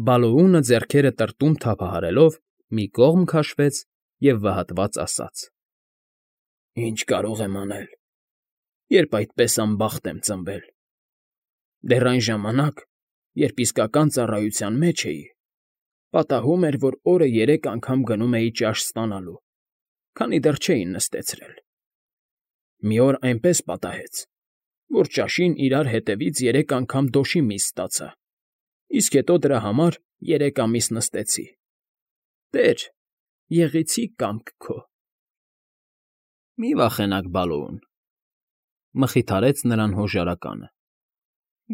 Բալոունը ձեռքերը տրտում թափահարելով մի կողմ քաշվեց և վհատված ասաց. «Ի՞նչ կարող եմ անել, երբ այդպես անբախտ եմ ծնվել… Դեռ այն ժամանակ, երբ իսկական ծառայության մեջ էի, պատահում էր, որ օրը 3 անգամ գնում էի ճաշ ստանալու, քանի դեռ չէին նստեցրել… Մի օր այնպես պատահեց, որ ճաշին իրար հետևից 3 անգամ դոշի միս ստացա, իսկ հետո դրա համար 3 ամիս նստեցի… Տեր, եղեցի կամք քո»։ ֊ Մի վախենաք, Բալոուն,֊ մխիթարեց նրան հոժարականը։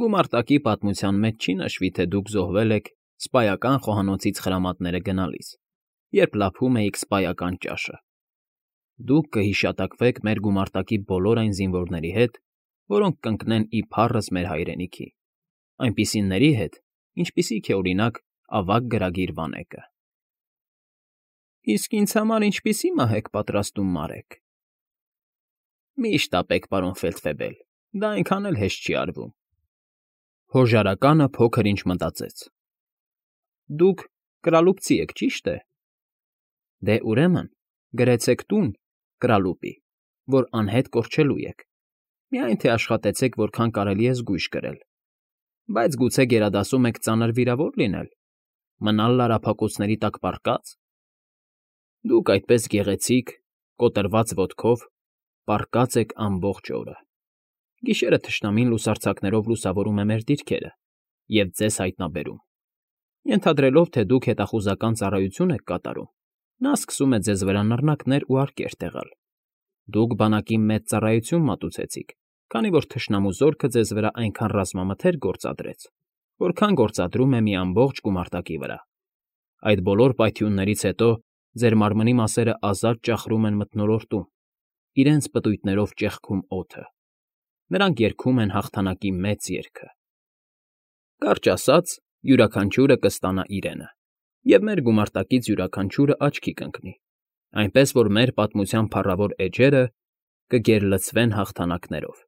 «Գումարտակի պատմության մեջ չի նշվի, թե դուք զոհվել եք սպայական խոհանոցից խրամատները գնալիս, երբ լափում էիք սպայական ճաշը։ Դուք կհիշատակվեք մեր գումարտակի բոլոր այն զինվորների հետ, որոնք կընկնեն իբառս մեր հայրենիքի, այնպիսիների հետ, ինչպիսիք է, օրինակ, ավագ գրագիր Վանեկը»։ ֊ Իսկ ինձ համար ինչպիսի՞ մահ եք պատրաստում մարեք։ ֊ Մի՛ շտապեք, պարոն Ֆեյլդֆեբել, դա այնքան էլ հեշտ չի արվում։ Հոժարականը փոքր֊ինչ մտածեց։ ֊ Դուք կրալուպցի եք, ճի՞շտ է։ ֊ Դե, ուրեմն, գրեցեք տուն, Կրալուպի, որ անհետ կորչելու եք, միայն թե աշխատեցեք որքան կարելի է զգույշ կրել, բայց գուցե գերադասում եք ծանր վիրավոր լինել, մնալ լարափակոցների տակ պառկա՞ծ։ Դուք այդպես գեղեցիկ, կոտրված ոտքով պառկած եք ամբողջ օրը, գիշերը թշնամին լուսարձակներով լուսավորում է մեր դիրքերը և ձեզ հայտնաբերում, ենթադրելով, թե դուք հետախուզական ծառայություն եք կատարում, նա սկսում է ձեզ վրա նռնակներ ու արկեր տեղալ։ Դուք բանակի մեծ ծառայություն մատուցեցիք, քանի որ թշնամու զորքը ձեզ վրա այնքան ռազմամթերք գործադրեց, որքան գործադրում է մի ամբողջ գումարտակի վրա։ Այդ բոլոր պայթյուններից հետո ձեր մարմնի մասերը ազատ ճախրում են մթնոլորտում, իրենց պտույտներով ճեղքում օդը։ Նրանք երգում են հաղթանակի մեծ երգը։ Կարճ ասած, յուրաքանչյուրը կստանա իրենը, և մեր գումարտակից յուրաքանչյուրը աչքի կընկնի, այնպես որ մեր պատմության փառավոր էջերը կգերլցվեն հաղթանակներով։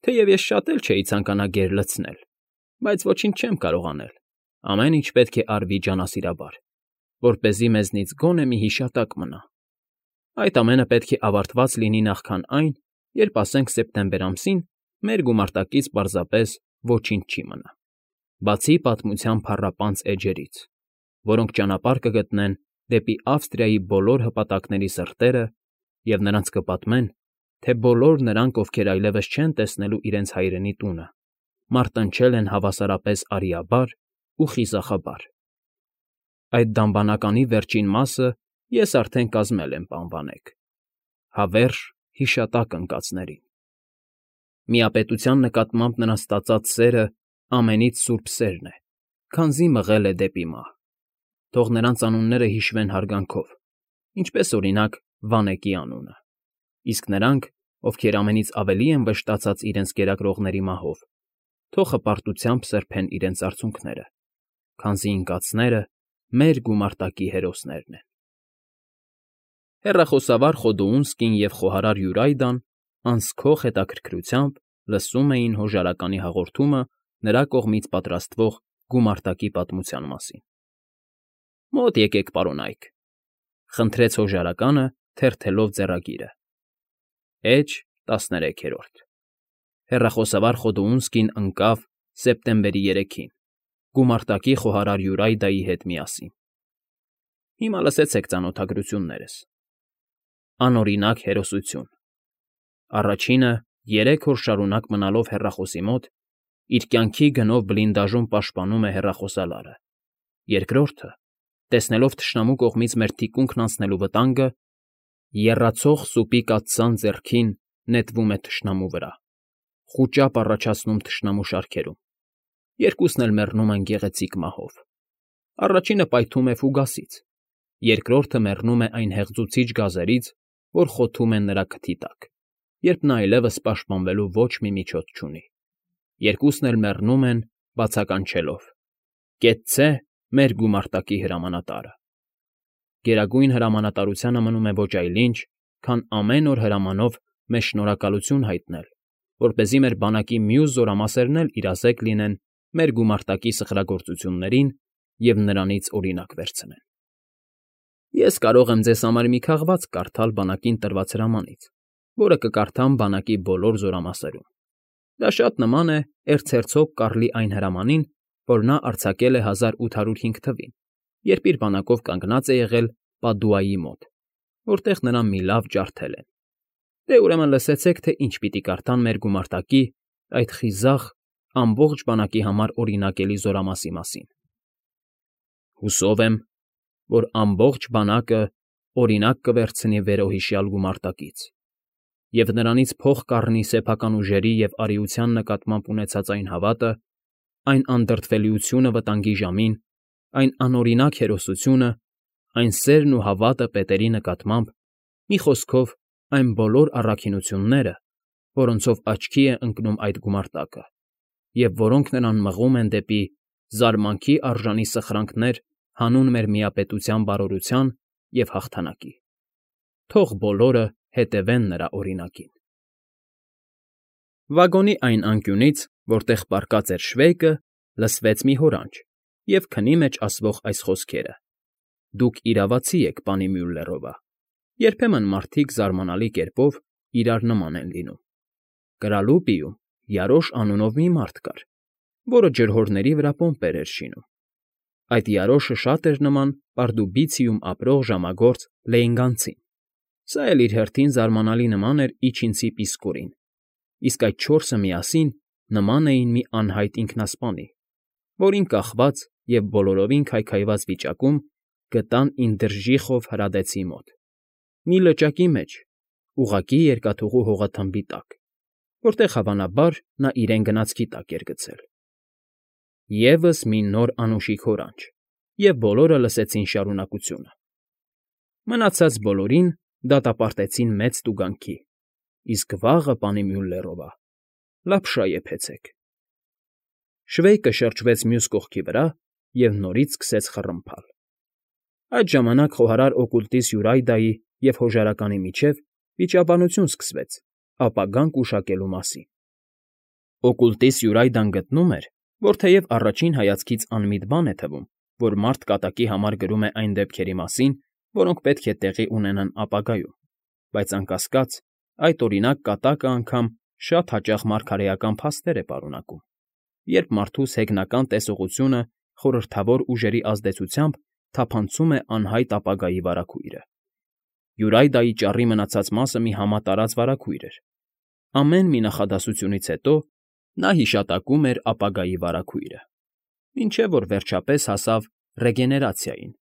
Թեև ես շատ էլ չէի ցանկանա գերլցնել, բայց ոչինչ չեմ կարող անել, ամեն ինչ պետք է արվի ջանասիրաբար, որպեսզի մեզնից գոնե մի հիշատակ մնա։ Այդ ամենը պետք է ավարտված լինի նախքան այն, երբ, ասենք, սեպտեմբեր ամսին մեր գումարտակից պարզապես ոչինչ չի մնա, բացի պատմության փառապանծ էջերից, որոնք ճանապարհ կգտնեն դեպի Ավստրիայի բոլոր հպատակների սրտերը և նրանց կպատմեն, թե բոլոր նրանք, ովքեր այլևս չեն տեսնելու իրենց հայրենի տունը, մարտնչել են հավասարապես արիաբար ու խիզախաբար։ Այդ դամբանականի վերջին մասը ես արդեն կազմել եմ, պան Վանեք, հավերժ հիշատակ ընկածներին։ Միապետության նկատմամբ նրանց տածած սերը ամենից սուրբ սերն է, քանզի մղել է դեպի մահ։ Թող նրանց անունները հիշվեն հարգանքով, ինչպես, օրինակ, Վանեկի անունը, իսկ նրանք, ովքեր ամենից ավելի են վշտացած իրենց կերակրողների մահով, թող հպարտությամբ սրբեն իրենց արցունքները, քանզի ընկածները մեր գումարտակի հերոսներն են։ Հեռախոսավար Խոդոունսկին և խոհարար Յուրայդան անսքող հետաքրքրությամբ լսում էին հոժարականի հաղորդումը նրա կողմից պատրաստվող գումարտակի պատմության մասին։ ֊ Մոտ եկեք, պարոնայք,֊ խնդրեց հոժարականը, թերթելով ձեռագիրը։ Էջ 13. Հեռախոսավար Խոդոունսկին ընկավ սեպտեմբերի 3-ին, գումարտակի խոհարար Յուրայդայի հետ միասին։ Հիմա լսեցեք ծանոթագրություններս։ Անօրինակ հերոսություն։ Առաջինը 3 օր շարունակ մնալով հեռախոսի մոտ, իր կյանքի գնով բլինդաժում պաշտպանում է հեռախոսալարը։ Երկրորդը, տեսնելով թշնամու կողմից մեր թիկունքն անցնելու վտանգը, եռացող սուպի կաթսան ձեռքին նետվում է թշնամու վրա, խուճապ առաջացնում թշնամու շարքերում։ Երկուսն էլ մեռնում են գեղեցիկ մահով։ Առաջինը պայթում է ֆուգասից, երկրորդը մեռնում է այն հեղձուցիչ գազերից, որ խոթում են նրա քթի տակ, երբ նա այլևս պաշտպանվելու ոչ մի միջոց չունի։ Երկուսն էլ մեռնում են բացականչելով. «Կեցցե մեր գումարտակի հրամանատարը»։ Գերագույն հրամանատարությանը մնում է ոչ այլ ինչ, քան ամեն օր հրամանով մեզ շնորհակալություն հայտնել, որպեսզի մեր բանակի մյուս զորամասերն էլ իրազեկ լինեն մեր գումարտակի սխրագործություններին և նրանից օրինակ վերցնեն։ Ես կարող եմ ձեզ համար մի քաղվածք կարդալ բանակին տրված հրամանից, որը կկարդամ բանակի բոլոր զորամասերում։ Դա շատ նման է էրցհերցոգ Կարլի այն հրամանին, որ նա արձակել է 1805 թվին, երբ իր բանակով կանգնած է եղել Պադուայի մոտ, որտեղ նրան մի լավ ջարդել են։ Դե ուրեմն լսեցեք, թե ինչ պիտի կարդան մեր գումարտակի, այդ խիզախ, ամբողջ բանակի համար օրինակելի զորամասի մասին։ Հուսով եմ, որ ամբողջ բանակը օրինակ կվերցնի վերոհիշյալ գումարտակից, և նրանից փող կառնի սեփական ուժերի և արիության նկատմամբ ունեցած այն հավատը, այն անդրդվելիությունը վտանգի ժամին, այն անօրինակ հերոսությունը, այն սերն ու հավատը պետերի նկատմամբ, մի խոսքով, այն բոլոր առաքինությունները, որոնցով աչքի է ընկնում այդ գումարտակը, և որոնք նրան մղում են դեպի զարմանքի արժանի սխրանքներ հանուն մեր միապետության բարօրության և հաղթանակի։ Թող բոլորը հետևեն նրա օրինակին։ Վագոնի այն անկյունից, որտեղ պառկած էր Շվեյկը, լսվեց մի հորանջ և քնի մեջ ասվող այս խոսքերը. «Դուք իրավացի եք, պանի Մյուլլերովա»։ Երբեմն մարդիկ զարմանալի կերպով իրար նման են լինում։ Կրալուպիում Յարոշ անունով մի մարդ կար, որը ջրհորների վրա պոմպեր էր շինում։ Այդ Յարոշը շատ էր նման Պարդուբիցիում ապրող ժամագործ Լեյնգանցին։ Սա էլ իր հերթին զարմանալի նման էր իջինցի Պիսկորին, իսկ այդ չորսը միասին նման էին մի անհայտ ինքնասպանի, որին կախված և բոլորովին քայքայված վիճակում գտան Ինդրժիխով հրադեցի մոտ, մի լճակի մեջ, ուղղակի երկաթուղու հողաթմբի տակ, որտեղ, հավանաբար, նա իրեն գնացքի տակ էր գցել։ Եվս մի նոր անուշիկ հորանջ, և բոլորը լսեցին շարունակությունը։ Մնացած բոլորին դատապարտեցին մեծ տուգանքի, իսկ վաղը, պանի Մյուլլերովա, լապշա եփեցեք։ Շվեյկը շրջվեց մյուս կողքի վրա և նորից սկսեց խռմփալ։ Այդ ժամանակ խոհարար օկուլտիս Յուրայդայի և հոժարականի միջև վիճաբանություն սկսվեց ապագան գուշակելու մասին։ Օկուլտիս Յուրայդան գտնում էր, որ թեև առաջին հայացքից անմիտ բան է թվում, որ մարդ կատակի համար գրում է այն դեպքերի մասին, որոնք պետք է տեղի ունենան ապագայում, բայց անկասկած, այդ օրինակ կատակը անգամ շատ հաճախ մարգարեական փաստեր է պարունակում, երբ մարդուս հեգնական տեսողությունը խորհրդավոր ուժերի ազդեցությամբ թափանցում է անհայտ ապագայի վարագույրը։ Յուրայդայի ճառի մնացած մասը մի համատարած վարագույր էր։ Ամեն մի նախադասությունից հետո նա հիշատակում էր ապագայի վարագույրը, մինչև որ վերջապես հասավ ռեգեներացիային,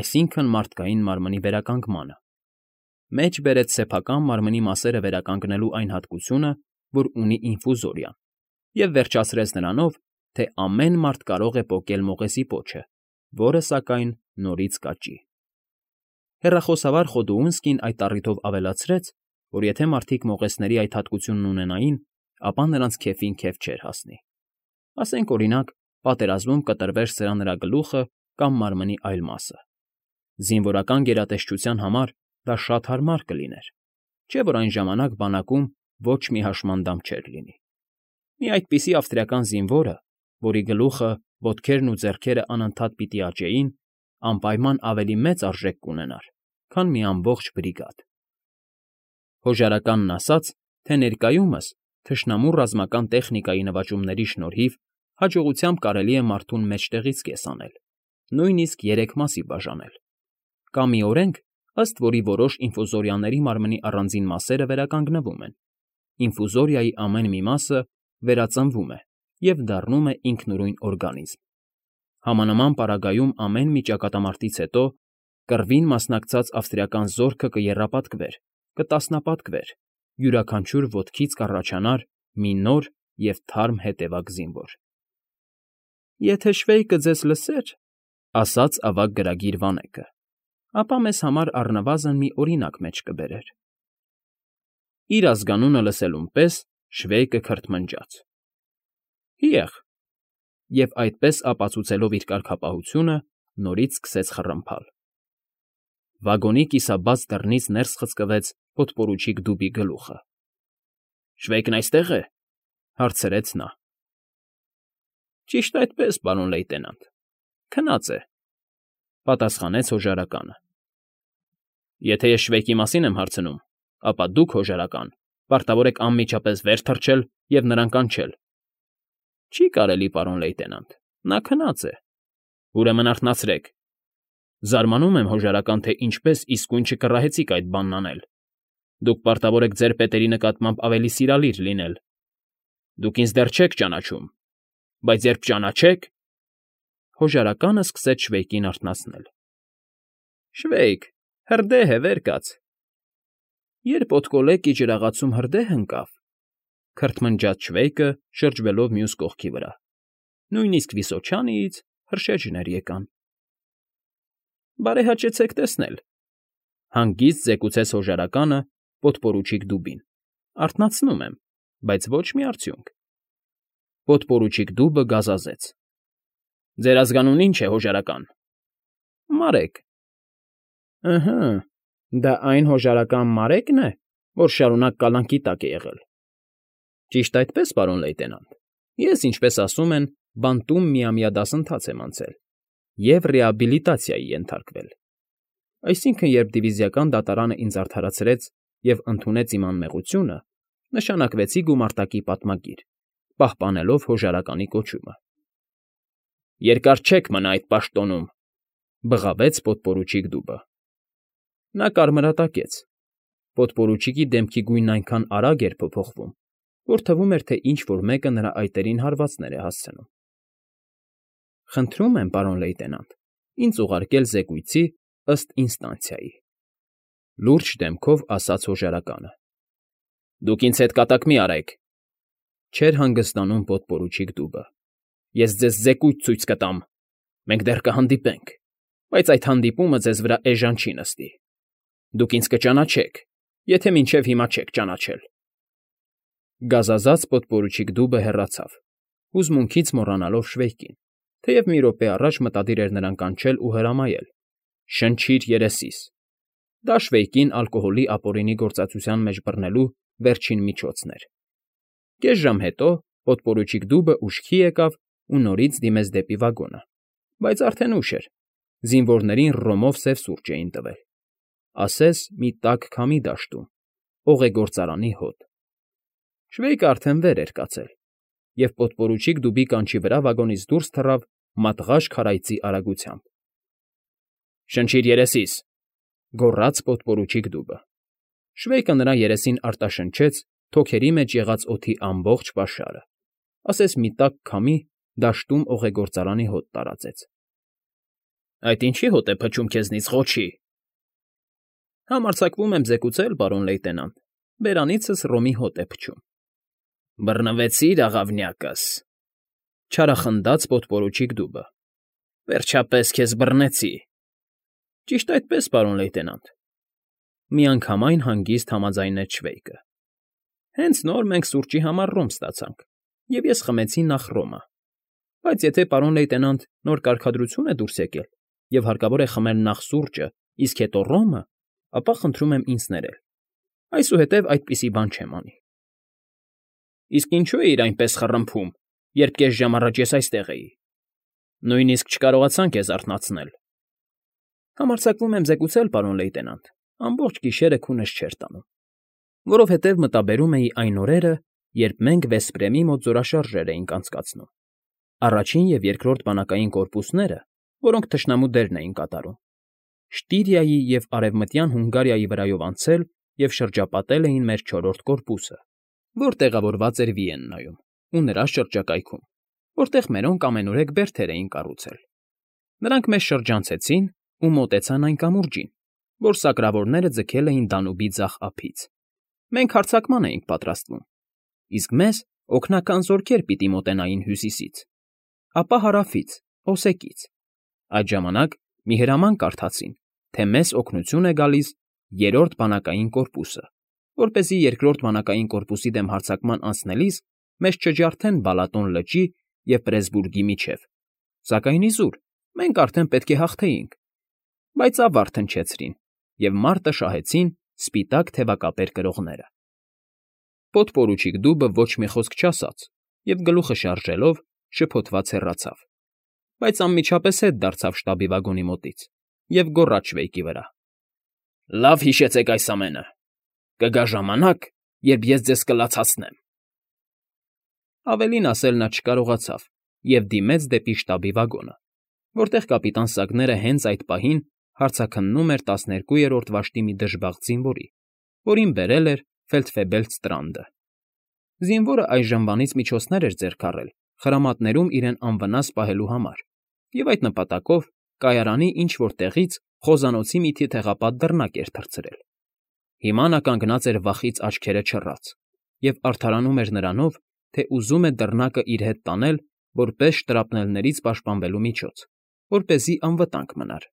այսինքն մարդկային մարմնի վերականգմանը, մեջ բերեց սեփական մարմնի մասերը վերականգնելու այն հատկությունը, որ ունի ինֆուզորիան, և վերջացրեց նրանով, թե ամեն մարդ կարող է պոկել մողեսի պոչը, որը, սակայն, նորից կաճի։ Հեռախոսավար Խոդուունսկին այդ առիթով ավելացրեց, որ եթե մարդիկ մողեսների այդ հատկությունն ունենային, ապա նրանց քեֆին քեֆ չէր հասնի։ Ասենք, օրինակ, պատերազմում կտրվեր սրա նրա գլուխը կամ մարմնի այլ մասը։ Զինվորական գերատեսչության համար դա շատ հարմար կլիներ, չէ՞ որ այն ժամանակ բանակում ոչ մի հաշմանդամ չէր լինի։ Մի այդպիսի ավստրիական զինվորը, որի գլուխը, ոտքերն ու ձեռքերը անընդհատ պիտի աճեին, անպայման ավելի մեծ արժեք կունենար, քան մի ամբողջ բրիգադ։ Հոժարականն ասաց, թե ներկայումս թշնամու ռազմական տեխնիկայի նվաճումների շնորհիվ հաջողությամբ կարելի է մարդուն մեջտեղից կես անել, նույնիսկ 3 մասի բաժանել։ Կա մի օրենք, ըստ որի որոշ ինֆուզորիաների մարմնի առանձին մասերը վերականգնվում են։ Ինֆուզորիայի ամեն մի մասը վերածնվում է և դառնում է ինքնուրույն օրգանիզմ։ Համանման պարագայում ամեն մի ճակատամարտից հետո կռվին մասնակցած ավստրիական զորքը կեռապատկվեր, կտասնապատկվեր, յուրաքանչյուր ոտքից կառաջանար մի նոր և թարմ հետևակ զինվոր։ «Եթե Շվեյկը ձեզ լսեր,֊ ասաց ավագ գրագիր Վանեկը,֊ ապա մեզ համար առնվազն մի օրինակ մեջ կբերեր»։ Իր ազգանունը լսելուն պես Շվեյկը քրթմնջաց. «Հիեղ», և այդպես ապացուցելով իր կարգապահությունը, նորից սկսեց խռմփալ։ Վագոնի կիսաբաց դռնից ներս խցկվեց պոդպորուչիկ Դուբի գլուխը։ «Շվեյկն այստե՞ղ է,֊ հարցրեց նա։ ֊ Ճիշտ այդպես, պարոն լեյտենանտ, Քնած է,֊ պատասխանեց հոժարականը։ Եթե ես Շվեյկի մասին եմ հարցնում, ապա դուք, հոժարական, պարտավոր եք անմիջապես վեր թռչել և նրան կանչել։ Չի կարելի, պարոն լեյտենանտ, նա քնած է։ Ուրեմն արթնացրեք։ Զարմանում եմ, հոժարական, թե ինչպես իսկույն չկռահեցիք այդ բանն անել։ Դուք պարտավոր եք ձեր պետերի նկատմամբ ավելի սիրալիր լինել։ Դուք ինձ դեռ չեք ճանաչում, բայց երբ ճանաչեք… Հոժարականը սկսեց Շվեյկին արթնացնել։ Շվեյկ, հրդեհ է, վեր կաց։ Երբ Օդկոլեկի ջրաղացում հրդեհ ընկավ,֊ քրթմնջաց Շվեյկը, շրջվելով մյուս կողքի վրա,֊ նույնիսկ Վիսոչյանիից հրշեջներ եկան։ Բարեհաճեցեք տեսնել,֊ հանգիստ զեկուցեց հոժարականը պոդպորուչիկ դուբին,֊ արթնացնում եմ, բայց ոչ մի արդյունք։ Պոդպորուչիկ դուբը գազազեց։ Ձեր ազգանունն ի՞նչ է, հոժարական։ Մարեք։ Ըհը, դա այն հոժարական Մարեկն է, որ շարունակ կալանքի տակ է եղել։ Ճիշտ այդպես, պարոն լեյտենանտ, ես, ինչպես ասում են, բանտում միամյա դասընթաց եմ անցել և ռեաբիլիտացիայի ենթարկվել։ Այսինքն, երբ դիվիզիական դատարանը ինձ արդարացրեց և ընդունեց իմ անմեղությունը, նշանակվեցի գումարտակի պատմագիր, պահպանելով հոժարականի կոչումը։ Երկար չեք մնա այդ պաշտոնում,֊ բղավեց պոդպորուչիկ դուբը։ Նա կարմրատակեց։ Պոդպորուչիկի դեմքի գույնն այնքան արագ էր փոփոխվում, որ թվում էր, թե ինչ֊որ մեկը նրա այտերին հարվածներ է հասցնում։ Խնդրում եմ, պարոն լեյտենանտ, ինձ ուղարկել զեկույցի ըստ ինստանցիայի,֊ լուրջ դեմքով ասաց հոժարականը։ Դուք ինձ հետ կատակ մի արեք,֊ չէր հանգստանում պոդպորուչիկ դուբը։ Ես ձեզ զեկույց ցույց կտամ։ Մենք դեռ կհանդիպենք, բայց այդ հանդիպումը ձեզ վրա էժան չի նստի։ Դուք ինձ կճանաչեք, եթե մինչև հիմա չեք ճանաչել։ Գազազած պոդպորուչիկ դուբը հեռացավ, հուզմունքից մոռանալով Շվեյկին, թեև մի րոպե առաջ մտադիր էր նրան կանչել ու հրամայել. շնչիր երեսիս։ Դա Շվեյկին ալկոհոլի ապօրինի գործածության մեջ բռնելու վերջին միջոցն էր։ Կես ժամ հետո պոդպորուչիկ դուբը ուշքի եկավ ու նորից դիմեց դեպի վագոնը, բայց արդեն ուշ էր, զինվորներին ռոմով սև սուրճ էին տվել, ասես մի տաք քամի դաշտում, օղեգործարանի հոտ։ Շվեյկը արդեն վեր էր կացել, և պոդպորուչիկ դուբի կանչի վրա վագոնից դուրս թռավ մատղաշ քարայծի արագությամբ։ Շնչիր երեսիս,֊ գոռաց պոդպորուչիկ դուբը։ Շվեյկը նրա երեսին արտաշնչեց թոքերի մեջ եղած օդի ամբողջ պաշարը, ասես մի տաք քամի դաշտում օղեգործարանի հոտ տարածեց։ Այդ ինչի՞ հոտ է փչում քեզնից, ղոչի։ Համարձակվում եմ զեկուցել, պարոն լեյտենանտ, բերանիցս ռոմի հոտ է փչում։ Բռնվեցի՞ր, աղավնյակս,֊ չարախնդաց պոդպորուչիկ դուբը։ Վերջապես քեզ բռնեցի։ Ճիշտ այդպես, պարոն լեյտենանտ,֊ միանգամայն հանգիստ համաձայնեց Շվեյկը։ Հենց նոր մենք սուրճի համար ռոմ ստացանք, և ես խմեցի նախ ռոմը, բայց եթե պարոն լեյտենանտ նոր կարգադրություն է դուրս եկել, և հարկավոր է խմել նախ սուրճը, իսկ հետո ռոմը, ապա խնդրում եմ ինձ ներել։ Այսուհետև այդպիսի բան չեմ անի։ Իսկ ինչու էիր այնպես խռմփում, երբ կես ժամ առաջ ես այստեղ էի։ Նույնիսկ չկարողացան քեզ արթնացնել։ Համարձակվում եմ զեկուցել, պարոն լեյտենանտ, ամբողջ գիշերը քունս չէր տանում, որովհետև մտաբերում էի այն օրերը, երբ մենք Վեսպրեմի մոտ զորաշարժեր էինք անցկացնում։ Առաջին և երկրորդ բանակային կորպուսները, որոնք թշնամու դերն էին կատարում, Շտիրիայի և Արևմտյան Հունգարիայի վրայով անցել և շրջապատել էին մեր չորրորդ կորպուսը, որ տեղավորված էր Վիեննայում ու նրա շրջակայքում, որտեղ մերոնք ամենուրեք բերդեր էին կառուցել։ Նրանք մեզ շրջանցեցին ու մոտեցան այն կամուրջին, որ սակրավորները ձգել էին Դանուբի ձախ ափից։ Մենք հարձակման էինք պատրաստվում, իսկ մեզ օգնական զորքեր պիտի մոտենային հյուսիսից, ապա հարավից, Օսեկից։ Այդ ժամանակ մի հրաման կարդացին, թե մեզ օգնություն է գալիս երրորդ բանակային կորպուսը, որպեսզի երկրորդ բանակային կորպուսի դեմ հարձակման անցնելիս մեզ չջարդեն Բալատոն լճի և Պրեսբուրգի միջև։ Սակայն իզուր, մենք արդեն պետք է հաղթեինք, բայց ավար թնչեցրին և մարտը շահեցին սպիտակ թևակապեր կրողները։ Պոդպորուչիկ դուբը ոչ մի խոսք չասաց և գլուխը շարժելով շփոթված հեռացավ։ բայց անմիջապես հետ դարձավ շտաբի վագոնի մոտից և գոռաց Շվեյկի վրա. «Լավ հիշեցեք այս ամենը. կգա ժամանակ, երբ ես ձեզ կլացացնեմ»։ Ավելին ասել նա չկարողացավ և դիմեց դեպի շտաբի վագոնը, որտեղ կապիտան Սակները հենց այդ պահին հարցաքննում էր 12-րդ վաշտի մի դժբախտ զինվորի, որին բերել էր ֆելդֆեբելց Տրանդը։ Զինվորը այժմվանից միջոցներ էր ձեռք առել խրամատներում իրեն անվնաս պահելու համար և այդ նպատակով կայարանի ինչ֊որ տեղից խոզանոցի մի թիթեղապատ դռնակ էր թռցրել։ Հիմա նա կանգնած էր վախից աչքերը չռած և արդարանում էր նրանով, թե ուզում է դռնակը իր հետ տանել որպես շտրապներներից պաշտպանվելու միջոց, որպեսզի անվտանգ մնար։